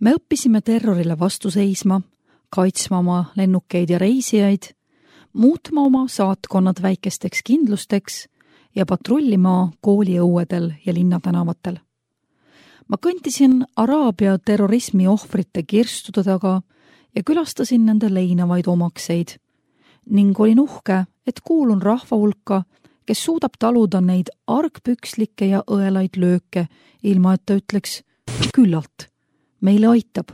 Me õppisime terrorile vastu seisma, kaitsma oma lennukeid ja reisijaid, muutma oma saatkonnad väikesteks kindlusteks ja patrullima kooliõuedel ja linnatänavatel. Ma kõntisin Araabia terrorismi ohvrite kirstude taga ja külastasin nende leinavaid omakseid ning olin uhke, et kuulun rahva hulka, kes suudab taluda neid argpükslikke ja õelaid lööke, ilma et ta ütleks küllalt, meile aitab.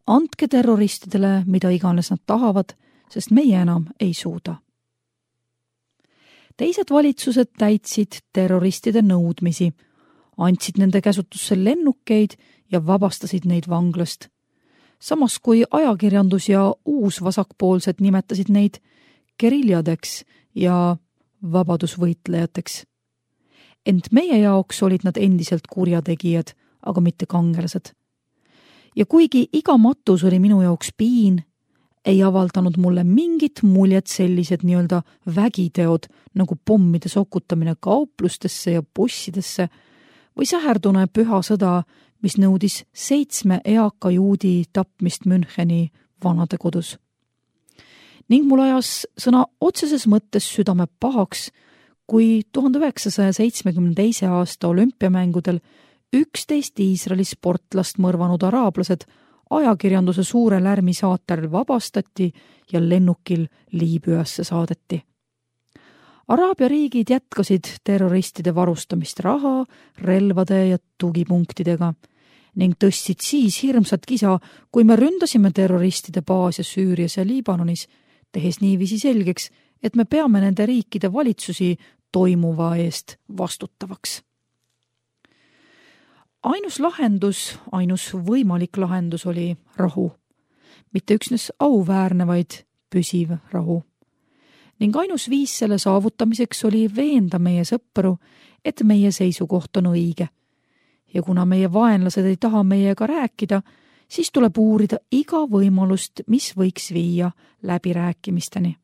Andke terroristidele, mida iganes nad tahavad, sest meie enam ei suuda. Teised valitsused täitsid terroristide nõudmisi, andsid nende käsutusse lennukeid ja vabastasid neid vanglast. Samas kui ajakirjandus ja uusvasakpoolsed nimetasid neid geriljadeks ja vabadusvõitlejateks. Ent meie jaoks olid nad endiselt kurjategijad, aga mitte kangelased. Ja kuigi iga matus oli minu jaoks piin, ei avaldanud mulle mingit muljet sellised nii-öelda vägiteod nagu pommide sokutamine kauplustesse ja bussidesse või säherdune püha sõda, mis nõudis 7 eaka juudi tapmist Müncheni vanadekodus. Ning mul ajas sõna otseses mõttes südame pahaks, kui 1972. aasta olümpiamängudel 11 Iisraeli sportlast mõrvanud araablased ajakirjanduse suure lärmi saatel vabastati ja lennukil Liibüasse saadeti. Araabia riigid jätkasid terroristide varustamist raha, relvade ja tugipunktidega ning tõstsid siis hirmsat kisa, kui me ründasime terroristide baase Süürias ja Liibanonis, tehes niiviisi selgeks, et me peame nende riikide valitsusi toimuva eest vastutavaks. Ainus võimalik lahendus oli rahu. Mitte üksnes auväärne, vaid püsiv rahu. Ning ainus viis selle saavutamiseks oli veenda meie sõpru, et meie seisukoht on õige. Ja kuna meie vaenlased ei taha meiega rääkida, siis tuleb uurida iga võimalust, mis võiks viia läbirääkimisteni.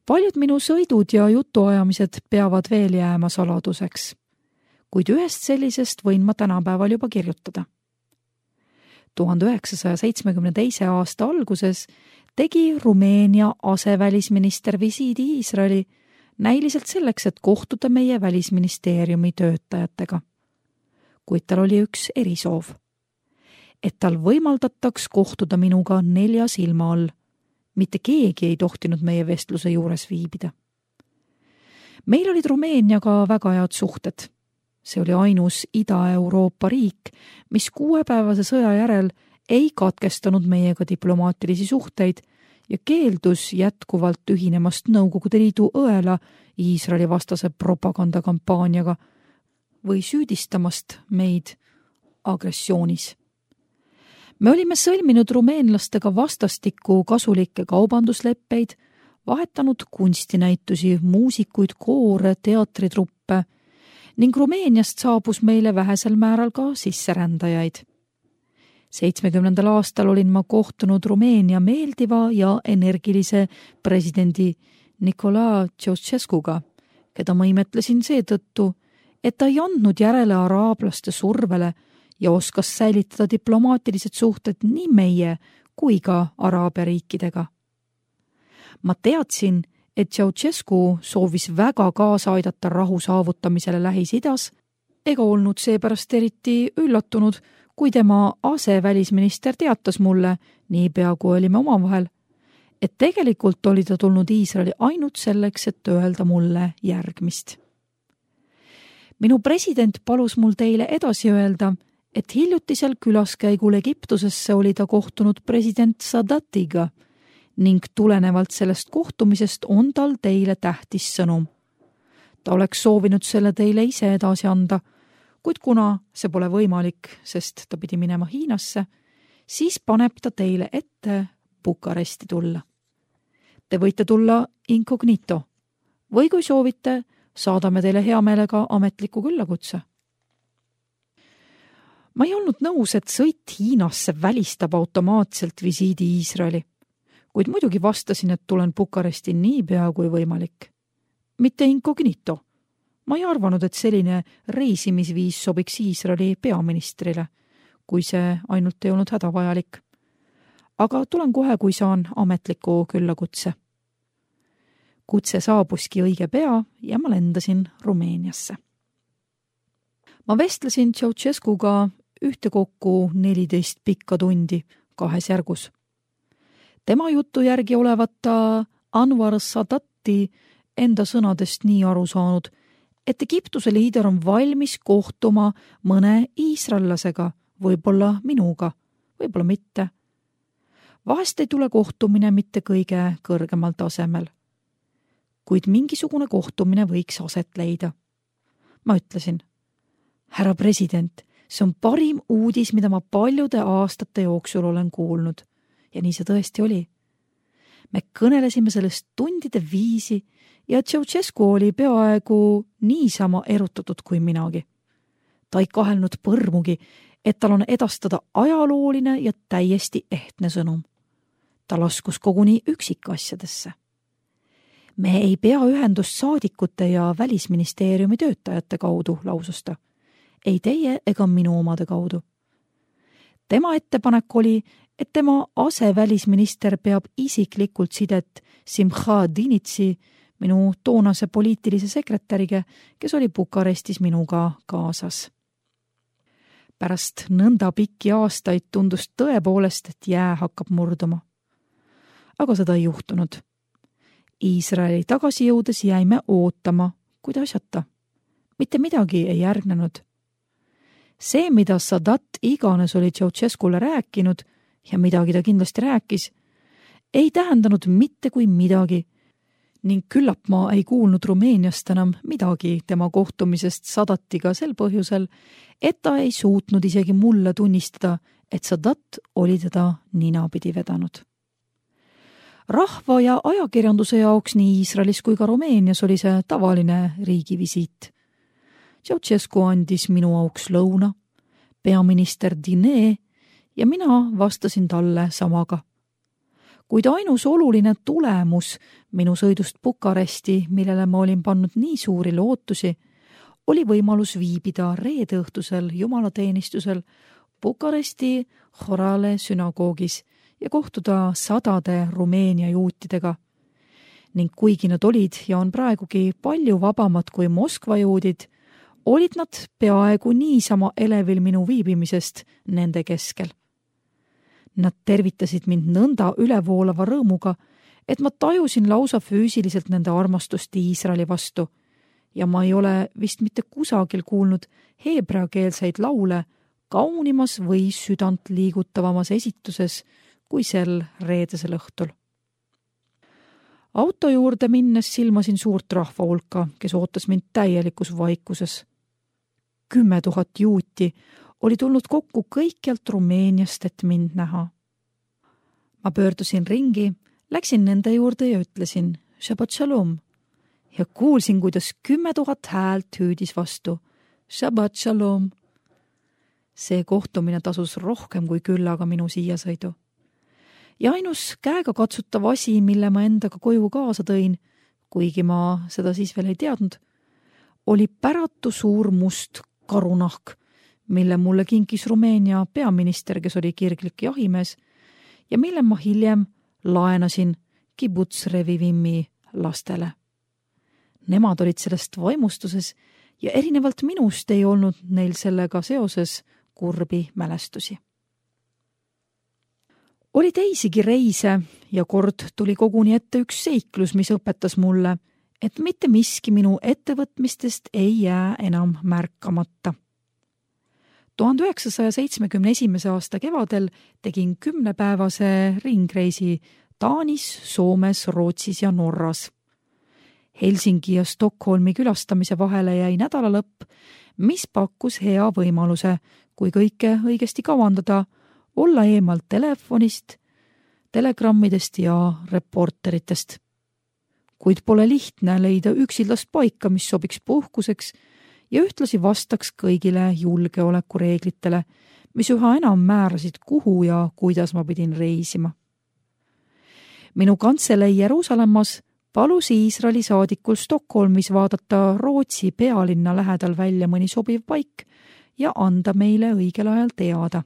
Paljud minu sõidud ja jutuajamised peavad veel jääma saladuseks, kuid ühest sellisest võin ma tänapäeval juba kirjutada. 1972. aasta alguses tegi Rumeenia asevälisminister visiidi Iisraeli näiliselt selleks, et kohtuda meie välisministeeriumi töötajatega. Kuid tal oli üks erisoov, et tal võimaldataks kohtuda minuga 4 silma all. Mitte keegi ei tohtinud meie vestluse juures viibida. Meil olid Rumeeniaga väga head suhted. See oli ainus Ida-Euroopa riik, mis 6-päevase sõja järel ei katkestanud meiega diplomaatilisi suhteid ja keeldus jätkuvalt ühinemast Nõukogude Liidu õela Iisraeli vastase propagandakampaaniaga või süüdistamast meid agressioonis. Me olime sõlminud rumeenlastega vastastikku kasulikke kaubandusleppeid, vahetanud kunstinäitusi, muusikuid, koore, teatritruppe ning Rumeeniast saabus meile vähesel määral ka sisserändajaid. 70. aastal olin ma kohtunud Rumeenia meeldiva ja energilise presidendi Nicolae Ceausescuga, keda ma imetlesin seetõttu, et ta ei andnud järele araablaste survele ja oskas säilitada diplomaatilised suhted nii meie kui ka Araabia riikidega. Ma teadsin, et Ceausescu soovis väga kaasa aidata rahu saavutamisele Lähis-Idas ega olnud seepärast eriti üllatunud, kui tema asevälisminister teatas mulle, niipea kui olime omavahel, et tegelikult oli ta tulnud Iisraeli ainult selleks, et öelda mulle järgmist. Minu president palus mul teile edasi öelda, et hiljutisel külaskäigul Egiptusesse oli ta kohtunud president Sadatiga ning tulenevalt sellest kohtumisest on tal teile tähtis sõnum. Ta oleks soovinud selle teile ise edasi anda, kuid kuna see pole võimalik, sest ta pidi minema Hiinasse, siis paneb ta teile ette Bukaresti tulla. Te võite tulla incognito või kui soovite, saadame teile hea meelega ametliku küllakutse. Ma ei olnud nõus, et sõit Hiinasse välistab automaatselt visiidi Iisraeli, kuid muidugi vastasin, et tulen Bukaresti niipea kui võimalik. Mitte incognito. Ma ei arvanud, et selline reisimisviis sobiks Iisraeli peaministrile, kui see ainult ei olnud hädavajalik. Aga tulen kohe, kui saan ametliku küllakutse. Kutse saabuski õige pea ja ma lendasin Rumeeniasse. Ma vestlesin Ceausescuga ühtekokku 14 pikka tundi 2 järgus. Tema jutu järgi olevat ta Anwar Sadati enda sõnadest nii aru saanud, et Egiptuse liider on valmis kohtuma mõne iisraellasega, võib-olla minuga, võib-olla mitte. Vahest ei tule kohtumine mitte kõige kõrgemal tasemel. Kuid mingisugune kohtumine võiks aset leida. Ma ütlesin, härra president, see on parim uudis, mida ma paljude aastate jooksul olen kuulnud. Ja nii see tõesti oli. Me kõnelesime sellest tundide viisi ja Ceausescu oli peaaegu niisama erutatud kui minagi. Ta ei kahelnud põrmugi, et tal on edastada ajalooline ja täiesti ehtne sõnum. Ta laskus koguni üksikasjadesse. Me ei pea ühendust saadikute ja välisministeeriumi töötajate kaudu, lausus ta. Ei teie ega minu omade kaudu. Tema ettepanek oli, et tema asevälisminister peab isiklikult sidet Simcha Dinitsi, minu toonase poliitilise sekretäriga, kes oli Bukarestis minuga kaasas. Pärast nõnda pikki aastaid tundus tõepoolest, et jää hakkab murduma. Aga seda ei juhtunud. Iisraeli tagasi jõudes jäime ootama, kuid asjata. Mitte midagi ei järgnenud. See, mida Sadat iganes oli Ceausescule rääkinud ja midagi ta kindlasti rääkis, ei tähendanud mitte kui midagi ning küllap ma ei kuulnud Rumeeniast enam midagi tema kohtumisest Sadatiga sel põhjusel, et ta ei suutnud isegi mulle tunnistada, et Sadat oli teda ninapidi vedanud. Rahva ja ajakirjanduse jaoks nii Iisraelis kui ka Rumeenias oli see tavaline riigivisiit. Ceausescu andis minu auks lõuna, peaminister Dine ja mina vastasin talle samaga. Kuid ainus oluline tulemus minu sõidust Bukaresti, millele ma olin pannud nii suuri lootusi, oli võimalus viibida reede õhtusel jumalateenistusel Bukaresti Horale sünagoogis ja kohtuda sadade Rumeenia juutidega. Ning kuigi nad olid ja on praegugi palju vabamad kui Moskva juudid, olid nad peaaegu niisama elevil minu viibimisest nende keskel. Nad tervitasid mind nõnda ülevoolava rõõmuga, et ma tajusin lausa füüsiliselt nende armastust Iisraeli vastu ja ma ei ole vist mitte kusagil kuulnud heebreakeelseid laule kaunimas või südant liigutavamas esituses kui sel reedesel õhtul. Auto juurde minnes silmasin suurt rahva hulka, kes ootas mind täielikus vaikuses. 10 000 juuti oli tulnud kokku kõikjalt Rumeeniast, et mind näha. Ma pöördusin ringi, läksin nende juurde ja ütlesin Shabbat Shalom ja kuulsin, kuidas 10 000 häält hüüdis vastu Shabbat Shalom. See kohtumine tasus rohkem kui küllaga minu siia sõidu. Ja ainus käega katsutav asi, mille ma endaga koju kaasa tõin, kuigi ma seda siis veel ei teadnud, oli päratu suur must karunahk, mille mulle kinkis Rumeenia peaminister, kes oli kirglik jahimees, ja mille ma hiljem laenasin Kibbutz Revivimi lastele. Nemad olid sellest vaimustuses ja erinevalt minust ei olnud neil sellega seoses kurbi mälestusi. Oli teisigi reise ja kord tuli koguni ette üks seiklus, mis õpetas mulle, et mitte miski minu ettevõtmistest ei jää enam märkamata. 1971. aasta kevadel tegin 10-päevase ringreisi Taanis, Soomes, Rootsis ja Norras. Helsingi ja Stockholmi külastamise vahele jäi nädalalõpp, mis pakkus hea võimaluse, kui kõike õigesti kavandada, olla eemal telefonist, telegrammidest ja reporteritest. Kuid pole lihtne leida üksildast paika, mis sobiks puhkuseks ja ühtlasi vastaks kõigile julgeolekureeglitele, mis üha enam määrasid, kuhu ja kuidas ma pidin reisima. Minu kantselei Jeruusalemmas palus Iisraeli saadikul Stockholmis vaadata Rootsi pealinna lähedal välja mõni sobiv paik ja anda meile õigel ajal teada.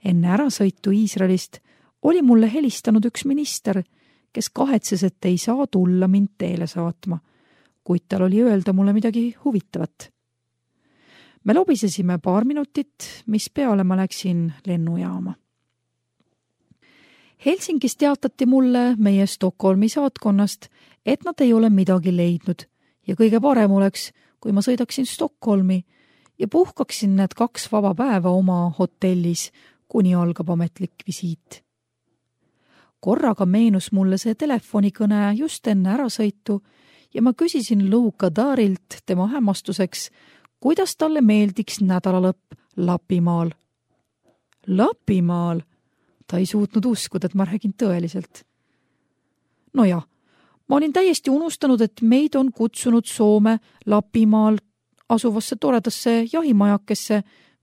Enne ärasõitu Iisraelist oli mulle helistanud üks minister, kes kahetses, et ei saa tulla mind teele saatma, kuid tal oli öelda mulle midagi huvitavat. Me lobisesime paar minutit, mis peale ma läksin lennujaama. Helsingis teatati mulle meie Stockholmi saatkonnast, et nad ei ole midagi leidnud ja kõige parem oleks, kui ma sõidaksin Stockholmi ja puhkaksin need 2 vaba päeva oma hotellis, kuni algab ametlik visiit. Korraga meenus mulle see telefonikõne just enne ärasõitu ja ma küsisin Lou Kadarilt tema hämmastuseks, kuidas talle meeldiks nädalalõpp Lapimaal. Lapimaal? Ta ei suutnud uskuda, et ma räägin tõeliselt. No jah, ma olin täiesti unustanud, et meid on kutsunud Soome Lapimaal asuvasse toredasse jahimajakesse,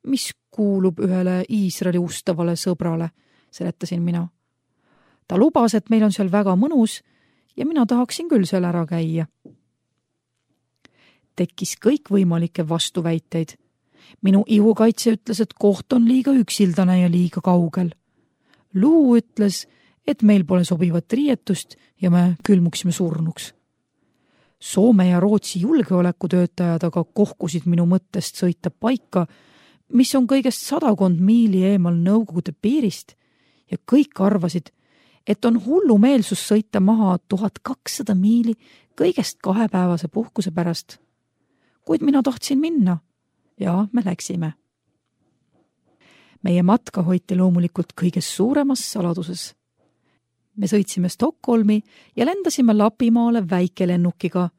mis kuulub ühele Iisraeli ustavale sõbrale, seletasin mina. Ta lubas, et meil on seal väga mõnus ja mina tahaksin küll seal ära käia. Tekkis kõikvõimalikke vastuväiteid. Minu ihukaitse ütles, et koht on liiga üksildane ja liiga kaugel. Luu ütles, et meil pole sobivat riietust ja me külmuksime surnuks. Soome ja Rootsi julgeolekutöötajad aga kohkusid minu mõttest sõita paika, mis on kõigest 100 miili eemal Nõukogude piirist ja kõik arvasid, et on hullumeelsus sõita maha 1200 miili kõigest 2-päevase puhkuse pärast. Kuid mina tahtsin minna ja me läksime. Meie matka hoiti loomulikult kõiges suuremas saladuses. Me sõitsime Stockholmi ja lendasime Lapimaale väikelennukiga,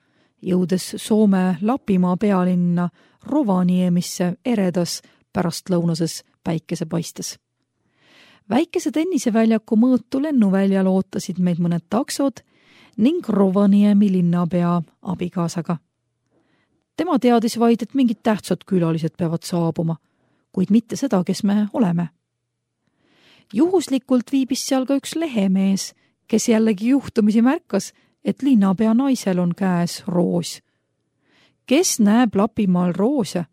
jõudes Soome Lapimaa pealinna Rovaniemisse eredas pärastlõunases päikesepaistes. Väikese tenniseväljaku mõõtu lennuväljal ootasid meid mõned taksod ning Rovaniemi linnapea abikaasaga. Tema teadis vaid, et mingid tähtsad külalised peavad saabuma, kuid mitte seda, kes me oleme. Juhuslikult viibis seal ka üks lehemees, kes jällegi juhtumisi märkas, et linnapea naisel on käes roos. Kes näeb Lapimaal roose?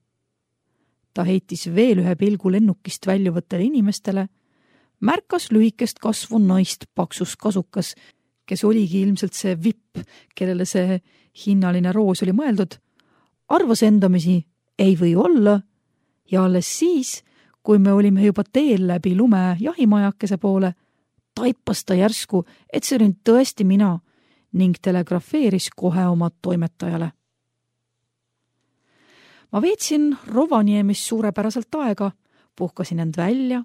Ta heitis veel ühe pilgu lennukist väljuvatele inimestele, märkas lühikest kasvu naist paksus kasukas, kes oligi ilmselt see vipp, kellele see hinnaline roos oli mõeldud, arvas endamisi ei või olla ja alles siis, kui me olime juba teel läbi lume jahimajakese poole, taipas ta järsku, et see oli tõesti mina ning telegrafeeris kohe oma toimetajale. Ma veetsin Rovaniemis suurepäraselt aega, puhkasin end välja,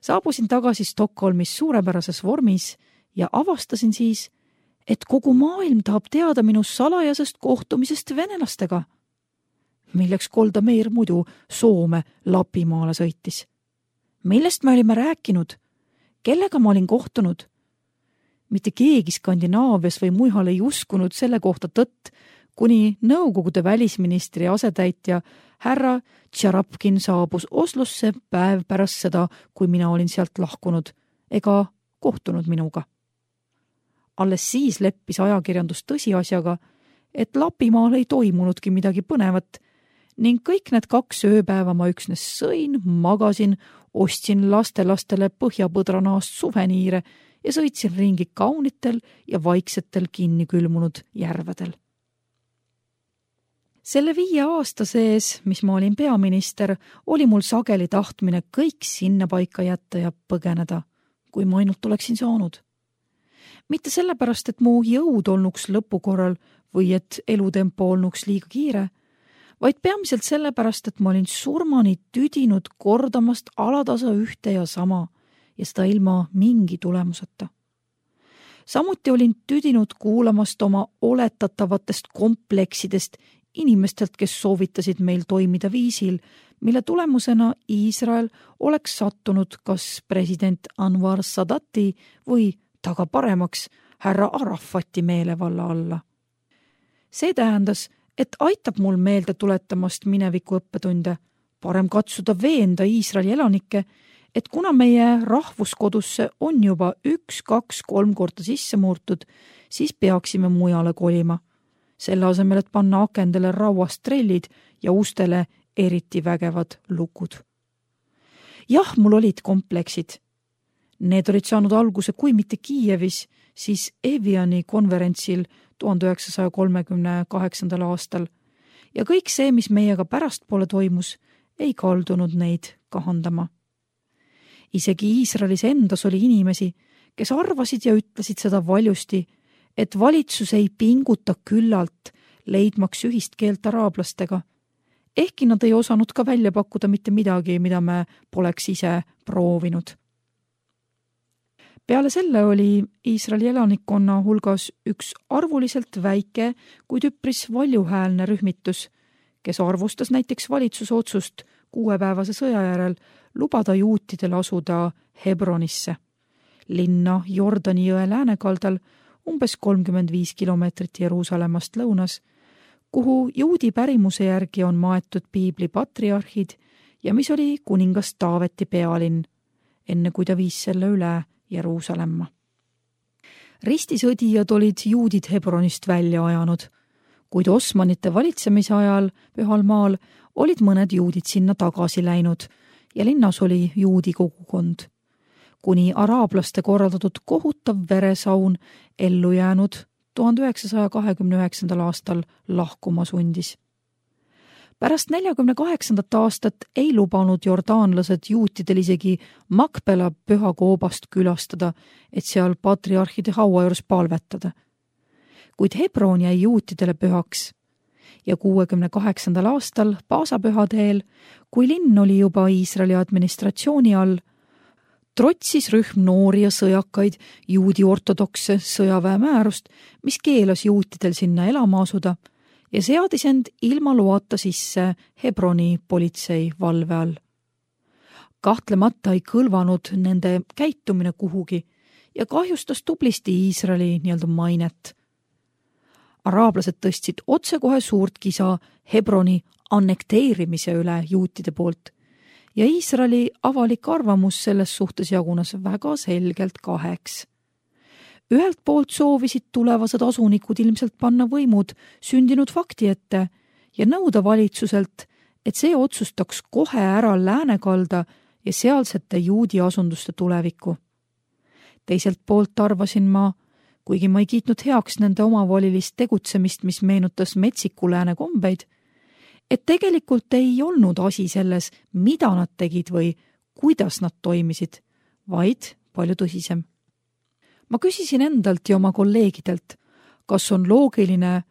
saabusin tagasi Stockholmis suurepärases vormis ja avastasin siis, et kogu maailm tahab teada minu salajasest kohtumisest venelastega, milleks Golda Meir muidu Soome Lapimaale sõitis. Millest me olime rääkinud? Kellega ma olin kohtunud? Mitte keegi Skandinaavias või mujal ei uskunud selle kohta tõtt, kuni Nõukogude välisministri asetäitja härra Tšarapkin saabus Oslosse päev pärast seda, kui mina olin sealt lahkunud, ega kohtunud minuga. Alles siis leppis ajakirjandus tõsiasjaga, et Lapimaal ei toimunudki midagi põnevat ning kõik need 2 ööpäeva ma üksnes sõin, magasin, ostsin lastelastele põhjapõdranaast suveniire ja sõitsin ringi kaunitel ja vaiksetel kinni külmunud järvedel. Selle 5 aasta sees, mis ma olin peaminister, oli mul sageli tahtmine kõik sinna paika jätta ja põgeneda, kui ma ainult oleksin saanud. Mitte sellepärast, et mu jõud olnuks lõpukorral või et elutempo olnuks liiga kiire, vaid peamiselt sellepärast, et ma olin surmani tüdinud kordamast alatasa ühte ja sama ja seda ilma mingi tulemuseta. Samuti olin tüdinud kuulamast oma oletatavatest kompleksidest inimestelt, kes soovitasid meil toimida viisil, mille tulemusena Iisrael oleks sattunud kas president Anwar Sadati või taga paremaks härra Arafati meelevalla alla. See tähendas, et aitab mul meelde tuletamast mineviku õppetunde, parem katsuda veenda Iisraeli elanikke, et kuna meie rahvuskodusse on juba 1, 2, 3 korda sisse murtud, siis peaksime mujale kolima. Selle asemel, et panna akendele rauast trellid ja ustele eriti vägevad lukud. Jah, mul olid kompleksid. Need olid saanud alguse, kui mitte Kiievis, siis Eviani konverentsil 1938. aastal ja kõik see, mis meiega pärastpoole toimus, ei kaldunud neid kahandama. Isegi Iisraelis endas oli inimesi, kes arvasid ja ütlesid seda valjusti, et valitsus ei pinguta küllalt, leidmaks ühist keelt araablastega, ehkki nad ei osanud ka välja pakkuda mitte midagi, mida me poleks ise proovinud. Peale selle oli Iisraeli elanikkonna hulgas üks arvuliselt väike, kuid üpris valjuhäälne rühmitus, kes arvustas näiteks valitsuse otsust 6-päevase sõja järel lubada juutidel asuda Hebronisse, linna Jordani jõe läänekaldal umbes 35 kilomeetrit Jeruusalemmast lõunas, kuhu juudi pärimuse järgi on maetud piibli patriarhid ja mis oli kuningas Taaveti pealinn, enne kui ta viis selle üle Jeruusalemma. Ristisõdijad olid juudid Hebronist välja ajanud, kuid Osmanite valitsemise ajal Pühal maal olid mõned juudid sinna tagasi läinud ja linnas oli juudi kogukond, kuni araablaste korraldatud kohutav veresaun ellu jäänud 1929. aastal lahkuma sundis. Pärast 48. aastat ei lubanud jordaanlased juutidel isegi Makpela pühakoobast külastada, et seal patriarhide haua juures palvetada. Kuid Hebron jäi juutidele pühaks ja 68. aastal paasapühadeel, kui linn oli juba Iisraeli administratsiooni all, trotsis rühm noori ja sõjakaid juudi ortodokse sõjaväe määrust, mis keelas juutidel sinna elama asuda ja seadis end ilma loata sisse Hebroni politsei valve all. Kahtlemata ei kõlvanud nende käitumine kuhugi ja kahjustas tublisti Iisraeli mainet. Araablased tõstsid otsekohe suurt kisa Hebroni annekteerimise üle juutide poolt ja Iisraeli avalik arvamus selles suhtes jagunes väga selgelt kaheks. Ühelt poolt soovisid tulevased asunikud ilmselt panna võimud sündinud fakti ette ja nõuda valitsuselt, et see otsustaks kohe ära läänekalda ja sealsete juudi asunduste tulevikku. Teiselt poolt arvasin ma, kuigi ma ei kiitnud heaks nende omavolilist tegutsemist, mis meenutas metsiku lääne kombeid, et tegelikult ei olnud asi selles, mida nad tegid või kuidas nad toimisid, vaid palju tõsisem. Ma küsisin endalt ja oma kolleegidelt, kas on loogiline,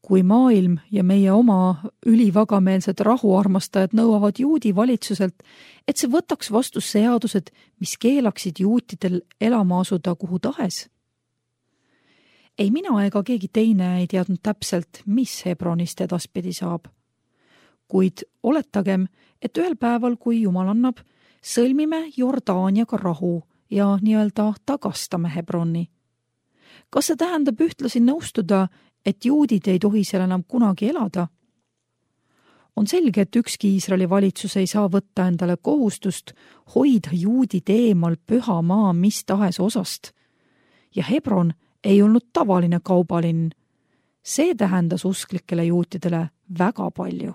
kui maailm ja meie oma ülivagameelsed rahuarmastajad nõuavad juudi valitsuselt, et see võtaks vastu seadused, mis keelaksid juutidel elama asuda kuhu tahes. Ei mina ega keegi teine ei teadnud täpselt, mis Hebronist edaspidi saab. Kuid oletagem, et ühel päeval, kui Jumal annab, sõlmime Jordaaniaga rahu ja nii-öelda tagastame Hebroni. Kas see tähendab ühtlasi nõustuda, et juudid ei tohi seal enam kunagi elada? On selge, et ükski Iisraeli valitsus ei saa võtta endale kohustust hoida juudid eemal püha maa mis tahes osast. Ja Hebron ei olnud tavaline kaubalinn. See tähendas usklikele juutidele väga palju.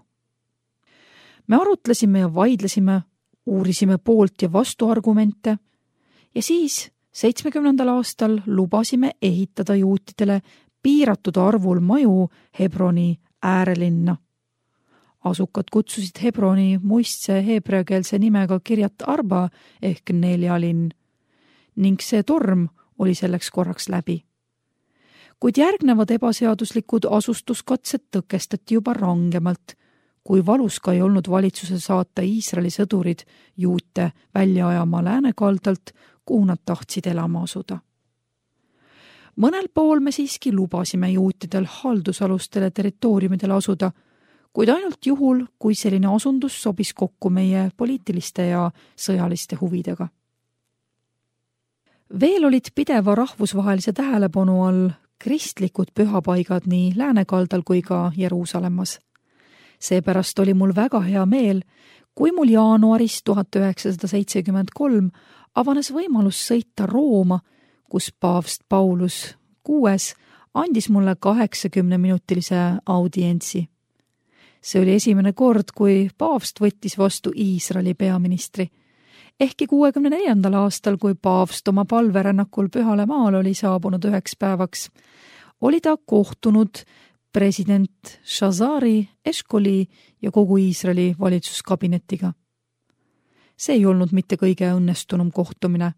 Me arutlesime ja vaidlesime, uurisime poolt ja vastuargumente ja siis 70. aastal lubasime ehitada juutidele piiratud arvul maju Hebroni äärelinna. Asukad kutsusid Hebroni muistse heebreakeelse nimega Kirjat Arba ehk 4 linn ning see torm oli selleks korraks läbi. Kuid järgnevad ebaseaduslikud asustuskatsed tõkestati juba rangemalt, kui valus ka ei olnud valitsuse saata Iisraeli sõdurid juute välja ajama läänekaldalt, kuhu nad tahtsid elama asuda. Mõnel pool me siiski lubasime juutidel haldusalustele territooriumidele asuda, kuid ainult juhul, kui selline asundus sobis kokku meie poliitiliste ja sõjaliste huvidega. Veel olid pideva rahvusvahelise tähelepanu all kristlikud pühapaigad nii läänekaldal kui ka Jeruusalemmas. Seepärast oli mul väga hea meel, kui mul jaanuaris 1973 avanes võimalus sõita Rooma, kus paavst Paulus VI andis mulle 80-minutilise audientsi. See oli esimene kord, kui paavst võttis vastu Iisraeli peaministri. Ehkki 64. aastal, kui paavst oma palverännakul Pühale maale oli saabunud 9 päevaks, oli ta kohtunud president Shazari, Eshkoli ja kogu Iisraeli valitsuskabinetiga. See ei olnud mitte kõige õnnestunum kohtumine.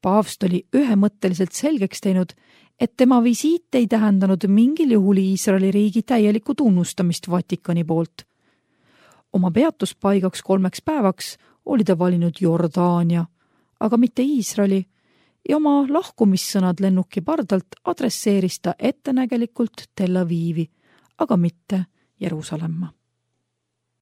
Paavst oli ühemõtteliselt selgeks teinud, et tema visiit ei tähendanud mingil juhul Iisraeli riigi täielikku tunnustamist Vatikani poolt. Oma peatuspaigaks 3 päevaks oli ta valinud Jordaania, aga mitte Iisraeli, ja oma lahkumissõnad lennuki pardalt adresseeris ta ettenägelikult Tel Avivi, aga mitte Jeruusalemma.